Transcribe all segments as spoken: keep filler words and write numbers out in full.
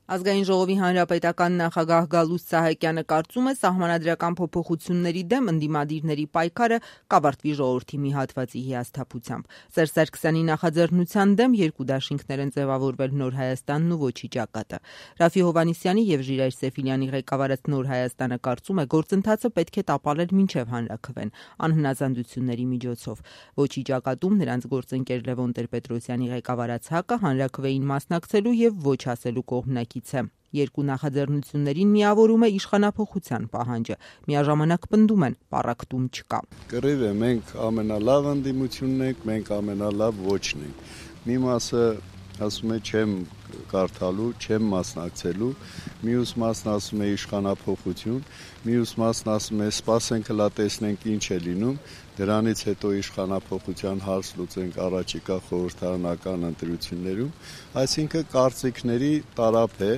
Ազգային ժողովի հանրապետական նախագահ Գալուստ Սահակյանը կարծում է, սահմանադրական փոփոխությունների դեմ ընդդիմադիրների պայքարը կավարտվի ժողովրդի մի հատվածի հիասթափությամբ։ Սերժ Սարգսյանի նախաձեռնության դեմ երկու դաշինքներ են ձևավորվել Նոր Հայաստանն ու Ոչի ճակատը։ Րաֆֆի Հովհաննիսյանի եւ Ժիրայր Սեֆիլյանի ղեկավարած Նոր Հայաստանը կարծում է, գործընթացը պետք է տապալել մինչեւ հանրաքվեն անհնազանդությունների միջոցով։ Ոչի ճակատում նրանց գործընկեր Լևոն Տեր-Պետրոսյանի ղեկավարած ՀԱԿ-ը հանրաքվեին մասնակցելու եւ ոչ ասելու կողմնակից է։ Երկու նախաձեռնություններին միավորում է իշխանափոխության պահանջը։ Միաժամանակ պնդում են՝ պառակտում չկա։ Կռիվ է, մենք ամենալավ ընդդիմությունն ենք, մենք ամենալավ ոչն ենք։ Մի մասը ասում է չեմ կարդալու, չեմ մասնակցելու, մյուս մասն ասում է իշխանափոխություն, մյուս մասն ասում է սպասենք հլա տեսնենք ինչ է լինում, դրանից հետո իշխանափոխության հարց լուծենք առաջիկա խորհրդարանական ընտրություններում, այսինքն կարծիքների տարափ է,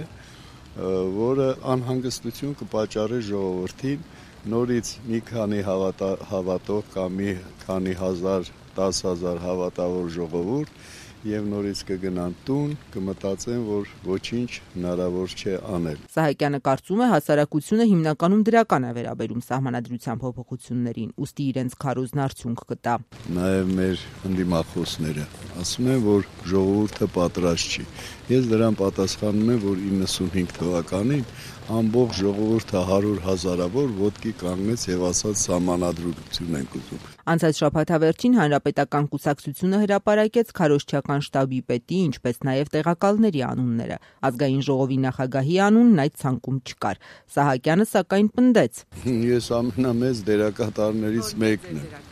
որը անհանգստություն կպատճառի ժողովրդին, նորից մի քանի հավատա, հավատող կամ մի քանի հազար, դաս հազար հավատավոր ժողովուրդ եւ նորից կգնան տուն, կմտածեն, որ ոչինչ հնարավոր չէ անել։ Սահակյանը կարծում է, հասարակությունը հիմնականում դրական է վերաբերում սահմանադրության փոփոխություններին, ուստի իրենց քարոզն արդյունք կտա։ Նաեւ մեր ընդդիմախոսները ասում են, որ ժողովուրդը պատրաստ չի։ Ես դրան պատասխանում եմ, որ իննսունհինգ թվականին ամբողջ ժողովուրդը հարյուր հազարավոր ոտքի կանգնեց եւ ասաց սահմանադրություն ենք ուզում։ Անցած շաբաթավերջին Հանրապետական կուսակցությունը հրապարակեց քարոզչական շտաբի պետի, ինչպես նաեւ տեղակալների անունները։ Ազգային ժողովի նախագահի անունն այդ ցանկում չկար։ Սահակյանը սակայն պնդեց. Ես ամենամեծ դերակատարներից մեկն եմ։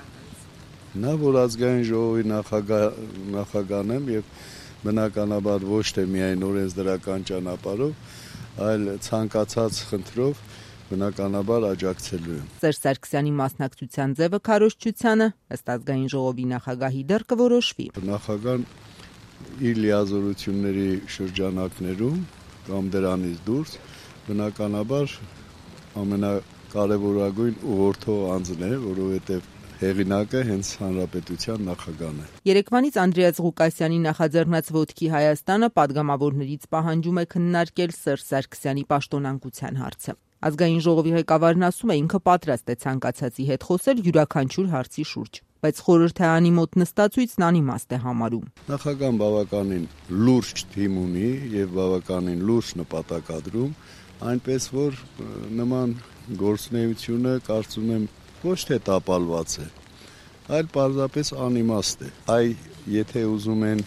Նա, որ ազգային ժողովի նախագահ նախագահն եմ եւ բնականաբար ոչ թե միայն օրենսդրական ճանապարհով, այլ ցանկացած խնդրով բնականաբար աջակցելու եմ։ Սերժ Սարգսյանի մասնակցության ձևը քարոզչությանը ըստ ազգային ժողովի նախագահի դեռ կորոշվի։ Նախագահան իր լիազորությունների շրջանակներում կամ դրանից դուրս բնականաբար ամենակարևորագույն ուղղորդող անձն է, որովհետև հեղինակը հենց հանրապետության նախագահն է։ Երեկվանից Անդրեաս Ղուկասյանի նախաձեռնած Ոտքի Հայաստանը падգամավորներից պահանջում է քննարկել Սերժ Սարգսյանի պաշտոնանկության հարցը։ Ազգային ժողովի ղեկավարն ասում է, ինքը պատրաստ է ցանկացածի հետ խոսել յուրաքանչյուր հարցի շուրջ, բայց խորհրդարանի մոտ նստածույցն անիմաստ է համարում։ Նախագահան բավականին լուրջ թիմ ունի եւ բավականին լուրջ նպատակադրում, այնպես որ նման գործունեությունը կարծում եմ ոչ թե տապալված է, այլ պարզապես անիմաստ է։ Այ եթե ուզում են,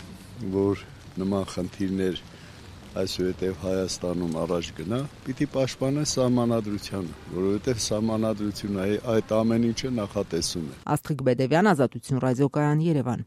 որ նման խնդիրներ այսուհետև Հայաստանում առաջ գնա, պիտի պաշտպանեն սահմանադրությանը, որովհետև սահմանադրությունը այդ ամեն ինչը նախատեսում է։ Աստղիկ Բեդևյան, Ազատություն ռադիոկայան, Երևան։